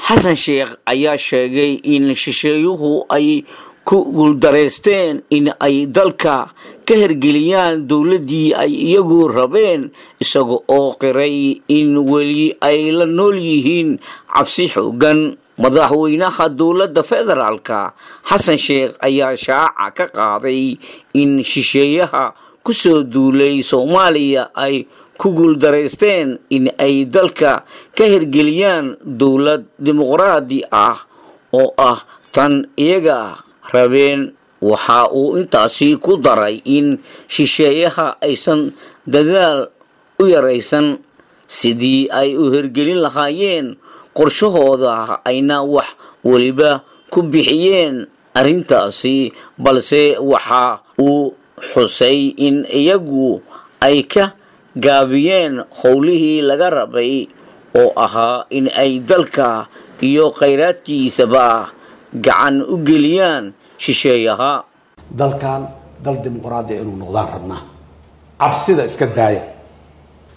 Xasan Sheekh ayaa sheegay in shisheeyuhu ay ku guuldareysteen in ay dalka ka hergeliyaan dowladdii ay iyagu rabeen, isaga oo qiray in weli ay la nool yihiin cabsi xoogan. Madaxweynaha dowladda federaalka Xasan Sheekh ayaa shaaca ka qaaday in shisheeyaha kusoo duulay Soomaaliya ay ku guuldareysteen in ay dalka ka hergeliyaan dowlad dimuqraadi ah oo ah tan iyaga rabeen. Waxa uu intaasi ku daray in shisheeyaha aysan dadaal u yaraysan sidii ay u hergelin lahaayeen qorshahooda, ayna wax weliba ku bixiyeen arrintaasi, balse waxa uu xusay in iyagu ay ka gaabiyeen howlihii laga rabay oo ahaa in ay dalka iyo khayraadkiisaba gacan u geliyaan shisheeyaha. Dalkan dal dimuqraadiya inuu noqdaan rabnaa. Cabsida iska daaya.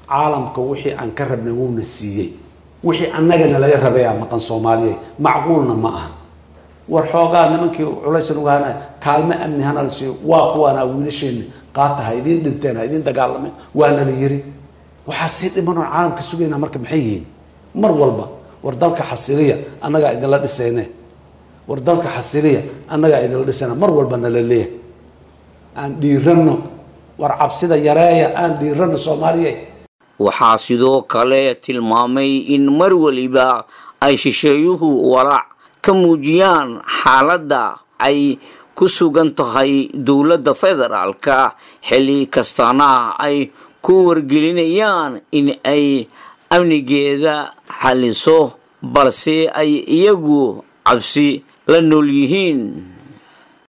Caalamka wixii aan ka rabnay wuuna siiyey, wixii annagana laga rabayaa maqan. Soomaaliya macquulna ma aha. War xoogaa nimankii culaysan uga hana kaalmo amni hana la siiyo, waa kuwaana wiilasheena qaata, ha idiin dhinteen, ha idiin dagaalameen, waana la yiri. Waxaa sii dhiman oon caalamka sugaynaa marka maxay yihiin? Mar walba war dalka xasiliya, annagaa idinla dhisayne, war dalka xasiliya, annagaa idinla dhisayna, mar walba nala leeyahay. Aan dhiiranno, war cabsida yareeya, aan dhiiranno Soomaaliya. Waxaa sidoo kale tilmaamay in mar weliba ay shisheeyuhu walaac ka muujiyaan xaaladda ay ku sugan tahay dowladda federaalka, xilli kastana ay ku wargelinayaan in ay amnigeeda xaliso, balse ay iyagu cabsi la nool yihiin.